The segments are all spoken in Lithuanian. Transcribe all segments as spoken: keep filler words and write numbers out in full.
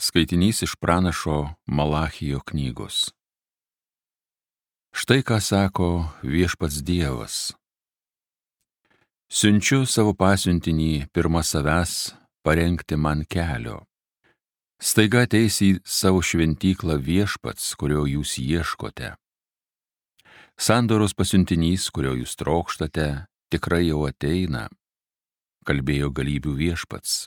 Skaitinys iš pranašo Malachijo knygos. Štai ką sako viešpats Dievas. Siunčiu savo pasiuntinį pirma savęs parengti man kelio. Staiga ateis į savo šventyklą viešpats, kurio jūs ieškote. Sandoros pasiuntinys, kurio jūs trokštate, tikrai jau ateina, kalbėjo galybių viešpats.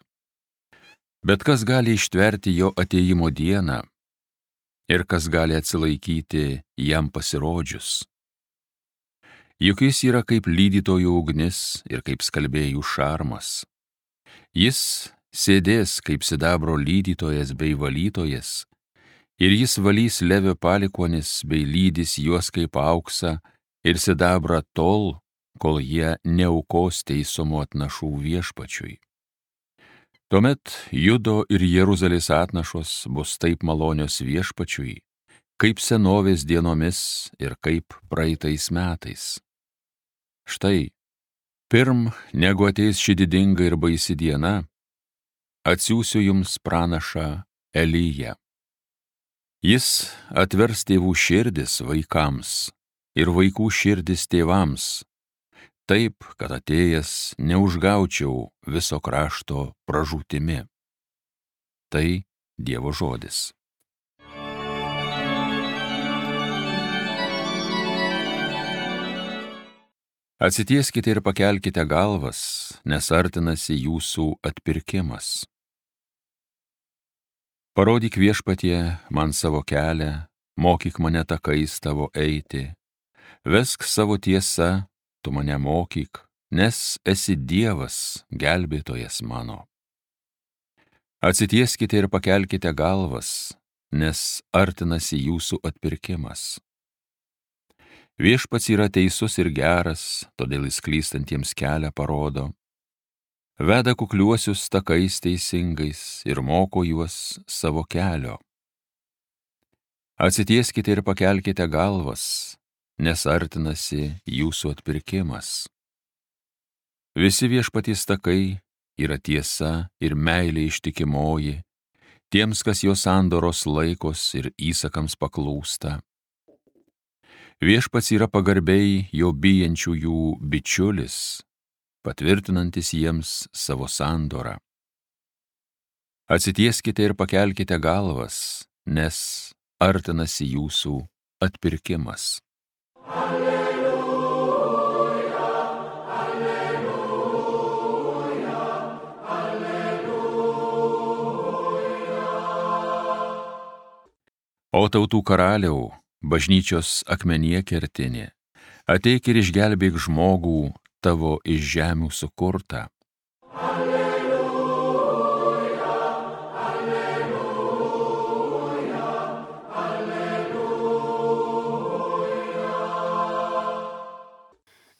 Bet kas gali ištverti jo atėjimo dieną ir kas gali atsilaikyti jam pasirodžius? Juk jis yra kaip lydytojų ugnis ir kaip skalbėjų šarmas. Jis sėdės kaip sidabro lydytojas bei valytojas, ir jis valys Levio palikuonis bei lydys juos kaip auksą ir sidabrą tol, kol jie neaukos teisumo atnašų viešpačiui. Tuomet Judo ir Jeruzalės atnašos bus taip malonios viešpačiui, kaip senovės dienomis ir kaip praeitais metais. Štai, pirm negu ateis ši didinga ir baisi diena, atsiųsiu jums pranašą Eliją. Jis atvers tėvų širdis vaikams ir vaikų širdis tėvams, taip, kad atėjęs neužgaučiau viso krašto pražūtimi. Tai Dievo žodis. Atsitieskite ir pakelkite galvas, nes artinasi jūsų atpirkimas. Parodyk viešpatie man savo kelią, mokyk mane takais tavo eiti, vesk savo tiesą, tu mane mokyk, nes esi Dievas, gelbėtojas mano. Atsitieskite ir pakelkite galvas, nes artinasi jūsų atpirkimas. Viešpats yra teisus ir geras, todėl jis klystantiems kelią parodo. Veda kukliuosius takais teisingais ir moko juos savo kelio. Atsitieskite ir pakelkite galvas, nes artinasi jūsų atpirkimas. Visi viešpaties takai yra tiesa ir meilė ištikimoji, tiems, kas jo sandoros laikos ir įsakams paklūsta. Viešpats yra pagarbiai jo bijančiųjų bičiulis, patvirtinantis jiems savo sandorą. Atsitieskite ir pakelkite galvas, nes artinasi jūsų atpirkimas. O tautų karaliau, bažnyčios akmenyje kertinė, ateik ir išgelbėk žmogų tavo iš žemių sukurtą. Alleluja, alleluja, alleluja.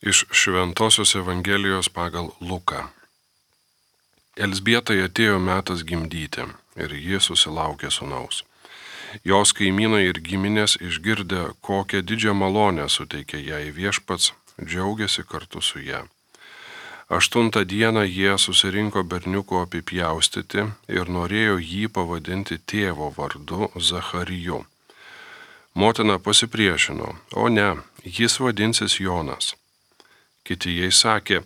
Iš Šventosios Evangelijos pagal Luką. Elzbietai atėjo metas gimdyti, ir ji susilaukė sūnaus. Jos kaimynai ir giminės išgirdę, kokią didžią malonę suteikė jai viešpats, džiaugiasi kartu su ja. Aštuntą dieną jie susirinko berniuko apipjaustyti ir norėjo jį pavadinti tėvo vardu Zachariju. Motina pasipriešino, o ne, jis vadinsis Jonas. Kiti jai sakė,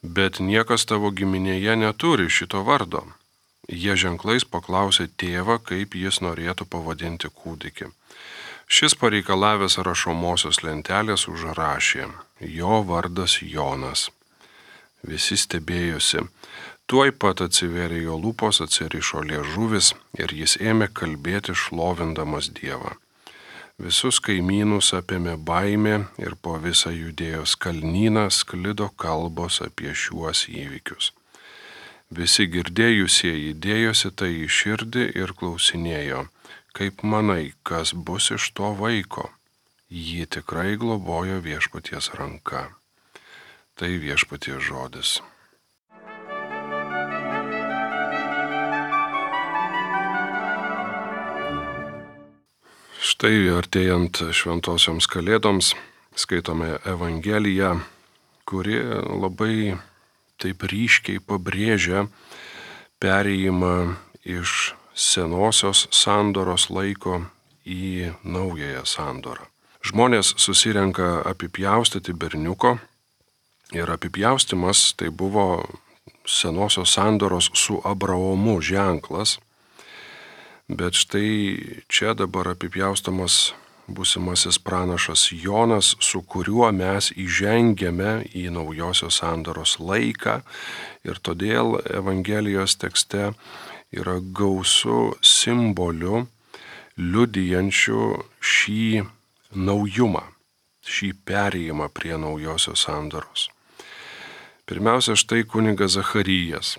bet niekas tavo giminėje neturi šito vardo. Jie ženklais paklausė tėvą, kaip jis norėtų pavadinti kūdikį. Šis pareikalavęs rašomosios lentelės užrašė, jo vardas Jonas. Visi stebėjosi. Tuoj pat atsiverė jo lūpos, atsirišo liežuvis ir jis ėmė kalbėti šlovindamas Dievą. Visus kaimynus apėmė baimė ir po visą Judėjos kalnyną sklido kalbos apie šiuos įvykius. Visi girdėjusieji dėjosi tai į širdį ir klausinėjo, kaip manai, kas bus iš to vaiko? Jį tikrai globojo viešpaties ranka. Tai viešpaties žodis. Štai artėjant šventosioms kalėdoms skaitome Evangeliją, kuri labai taip ryškiai pabrėžia perėjimą iš senosios sandoros laiko į naująją sandorą. Žmonės susirenka apipjaustyti berniuko ir apipjaustimas tai buvo senosios sandoros su Abraomu ženklas, bet štai čia dabar apipjaustamas būsimasis pranašas Jonas, su kuriuo mes įžengiame į naujosios sandoros laiką, ir todėl Evangelijos tekste yra gausu simbolių liudijančių šį naujumą, šį perėjimą prie naujosios sandoros. Pirmiausia, štai kunigas Zacharijas.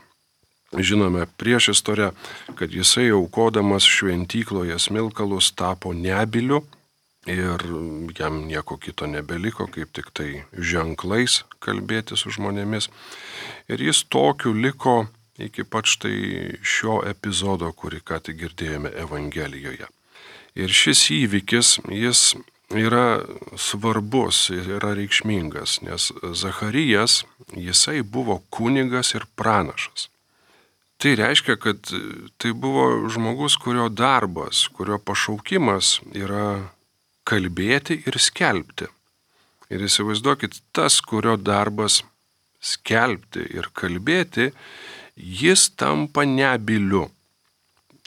Žinome prieš istoriją, kad jisai aukodamas šventykloje smilkalus tapo nebyliu ir jam nieko kito nebeliko, kaip tik tai ženklais kalbėti su žmonėmis. Ir jis tokiu liko iki pat štai šio epizodo, kurį ką tik girdėjome Evangelijoje. Ir šis įvykis, jis yra svarbus ir yra reikšmingas, nes Zacharijas, jisai buvo kunigas ir pranašas. Tai reiškia, kad tai buvo žmogus, kurio darbas, kurio pašaukimas yra kalbėti ir skelbti. Ir įsivaizduokit, tas, kurio darbas skelbti ir kalbėti, jis tampa nebyliu.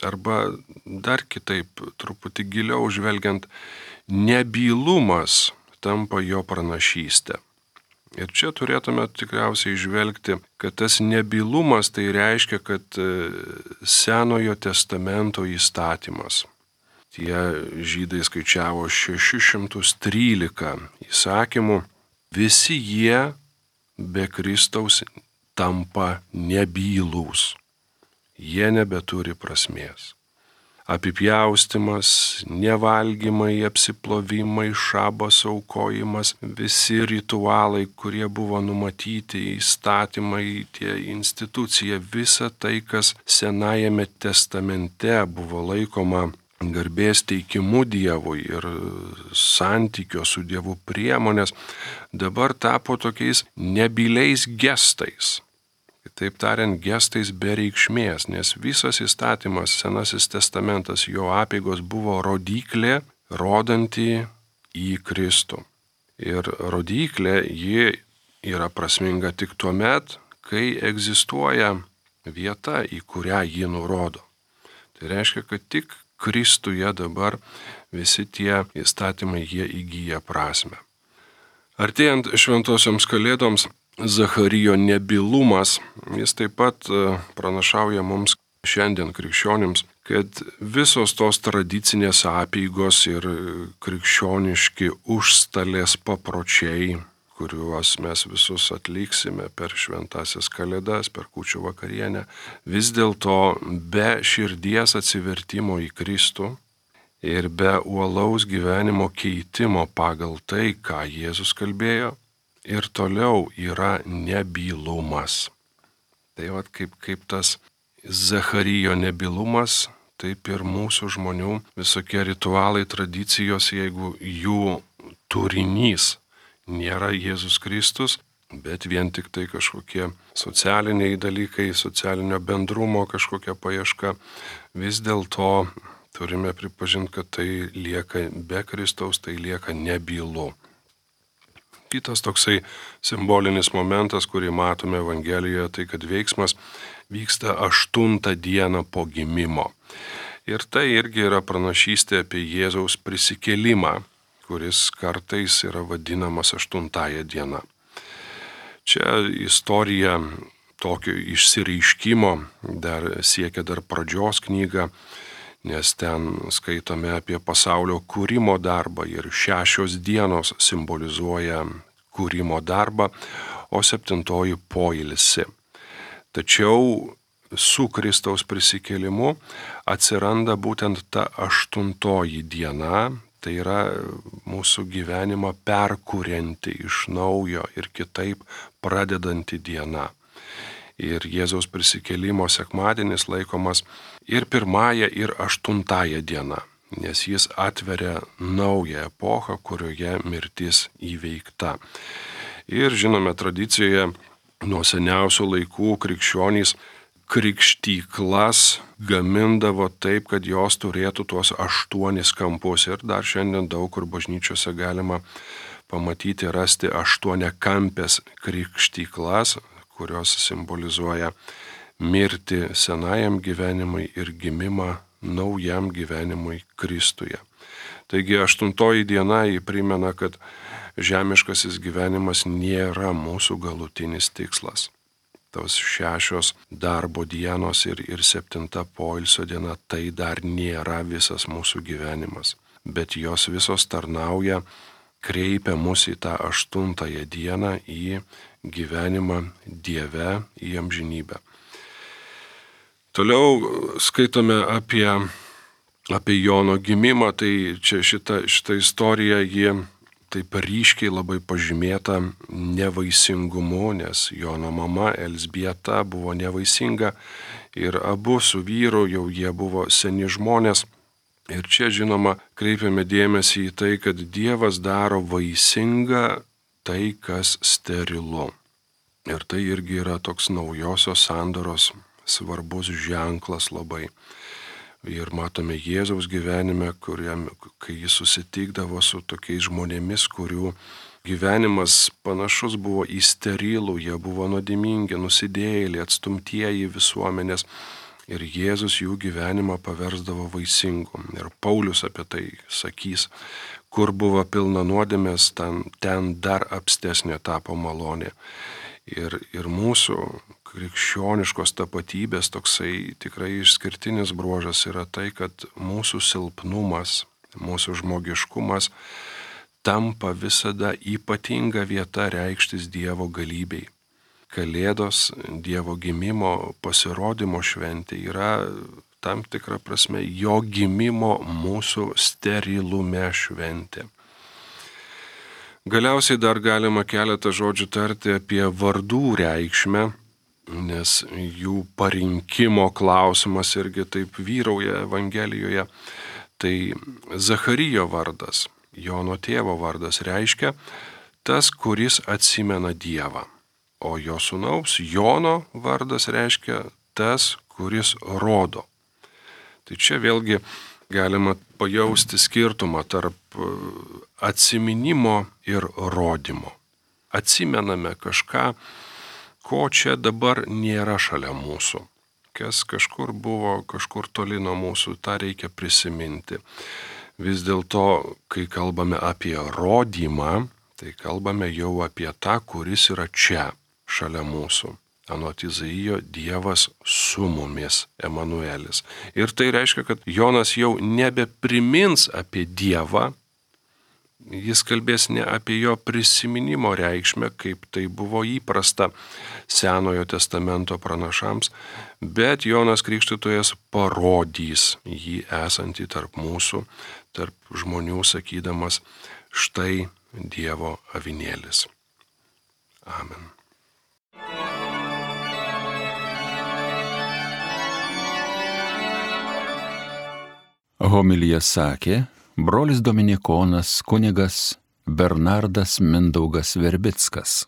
Arba dar kitaip, truputį giliau žvelgiant, nebylumas tampa jo pranašystė. Ir čia turėtume tikriausiai žvelgti, kad tas nebylumas tai reiškia, kad Senojo testamento įstatymas. Tie žydai skaičiavo šešis šimtus trylika įsakymų, visi jie be Kristaus tampa nebylūs. Jie nebeturi prasmės. Apipjaustimas, nevalgymai, apsiplovimai, šabas aukojimas, visi ritualai, kurie buvo numatyti, įstatymai, tie institucija, visa tai, kas Senajame testamente buvo laikoma garbės teikimu Dievui ir santykio su Dievu priemonės, dabar tapo tokiais nebyliais gestais. Taip tariant, gestais be reikšmės, nes visas įstatymas, Senasis testamentas, jo apeigos buvo rodyklė, rodanti į Kristų. Ir rodyklė, ji yra prasminga tik tuo met, kai egzistuoja vieta, į kurią ji nurodo. Tai reiškia, kad tik Kristuje dabar visi tie įstatymai, jie įgyja prasmę. Artėjant šventosioms kalėdoms, Zacharijo nebylumas, jis taip pat pranašauja mums šiandien krikščionims, kad visos tos tradicinės apeigos ir krikščioniški užstalės papročiai, kuriuos mes visus atliksime per šventąsias kalėdas, per kūčių vakarienę, vis dėlto be širdies atsivertimo į Kristų ir be uolaus gyvenimo keitimo pagal tai, ką Jėzus kalbėjo, ir toliau yra nebylumas. Tai vat kaip, kaip tas Zacharijo nebylumas, taip ir mūsų žmonių visokie ritualai, tradicijos, jeigu jų turinys nėra Jėzus Kristus, bet vien tik tai kažkokie socialiniai dalykai, socialinio bendrumo kažkokia paieška, vis dėlto turime pripažinti, kad tai lieka be Kristaus, tai lieka nebylu. Kitas toksai simbolinis momentas, kurį matome Evangelijoje, tai kad veiksmas vyksta aštuntą dieną po gimimo. Ir tai irgi yra pranašystė apie Jėzaus prisikėlimą, kuris kartais yra vadinamas aštuntąją dieną. Čia istorija tokio išsireiškimo dar siekia dar pradžios knygą, nes ten skaitome apie pasaulio kūrimo darbą ir šešios dienos simbolizuoja kūrimo darbą, o septintoji poilsį. Tačiau su Kristaus prisikėlimu atsiranda būtent ta aštuntoji diena, tai yra mūsų gyvenimą perkurianti iš naujo ir kitaip pradedanti diena. Ir Jėzaus prisikėlimo sekmadienis laikomas ir pirmąją, ir aštuntąją dieną, nes jis atveria naują epochą, kurioje mirtis įveikta. Ir žinome, tradicijoje nuo seniausių laikų krikščionys krikštyklas gamindavo taip, kad jos turėtų tuos aštuonis kampus. Ir dar šiandien daug kur bažnyčiose galima pamatyti, rasti aštuoniakampės krikštyklas, kurios simbolizuoja mirtį senajam gyvenimui ir gimimą naujam gyvenimui Kristuje. Taigi aštuntoji diena jį primena, kad žemiškasis gyvenimas nėra mūsų galutinis tikslas. Tos šešios darbo dienos ir, ir septinta poilsio diena tai dar nėra visas mūsų gyvenimas, bet jos visos tarnauja, kreipia mus į tą aštuntąją dieną, į gyvenimą Dieve, į amžinybę. Toliau skaitome apie, apie Jono gimimą, tai čia šita, šita istorija, ji taip ryškiai labai pažymėta nevaisingumu, nes Jono mama Elzbieta buvo nevaisinga ir abu su vyru jau jie buvo seni žmonės. Ir čia, žinoma, kreipiame dėmesį į tai, kad Dievas daro vaisingą tai, kas sterilu. Ir tai irgi yra toks naujosios sandoros svarbus ženklas labai. Ir matome Jėzaus gyvenime, kuriam, kai jis susitikdavo su tokiais žmonėmis, kurių gyvenimas panašus buvo į sterilų, jie buvo nuodėmingi, nusidėjėliai, atstumtieji visuomenės. Ir Jėzus jų gyvenimą paversdavo vaisingu. Ir Paulius apie tai sakys, kur buvo pilna nuodėmės, ten, ten dar apstesnė tapo malonė. Ir, ir mūsų krikščioniškos tapatybės toksai tikrai išskirtinis bruožas yra tai, kad mūsų silpnumas, mūsų žmogiškumas tampa visada ypatinga vieta reikštis Dievo galybei. Kalėdos, Dievo gimimo pasirodymo šventė yra tam tikra prasme jo gimimo mūsų sterilume šventė. Galiausiai dar galima keletą žodžių tarti apie vardų reikšmę, nes jų parinkimo klausimas irgi taip vyrauja Evangelijoje. Tai Zacharijo vardas, Jono tėvo vardas, reiškia tas, kuris atsimena Dievą. O jo sūnaus Jono vardas reiškia tas, kuris rodo. Tai čia vėlgi galima pajausti skirtumą tarp atsiminimo ir rodymo. Atsimename kažką, ko čia dabar nėra šalia mūsų. Kas kažkur buvo, kažkur toli nuo mūsų, tą reikia prisiminti. Vis dėlto, kai kalbame apie rodymą, tai kalbame jau apie tą, kuris yra čia, šalia mūsų. Anot Izaijo, Dievas su mumis, Emanuelis. Ir tai reiškia, kad Jonas jau nebeprimins apie Dievą, jis kalbės ne apie jo prisiminimo reikšmę, kaip tai buvo įprasta Senojo testamento pranašams, bet Jonas Krikštytojas parodys jį esantį tarp mūsų, tarp žmonių, sakydamas, štai Dievo avinėlis. Amen. Homiliją sakė brolis dominikonas kunigas Bernardas Mindaugas Verbickas.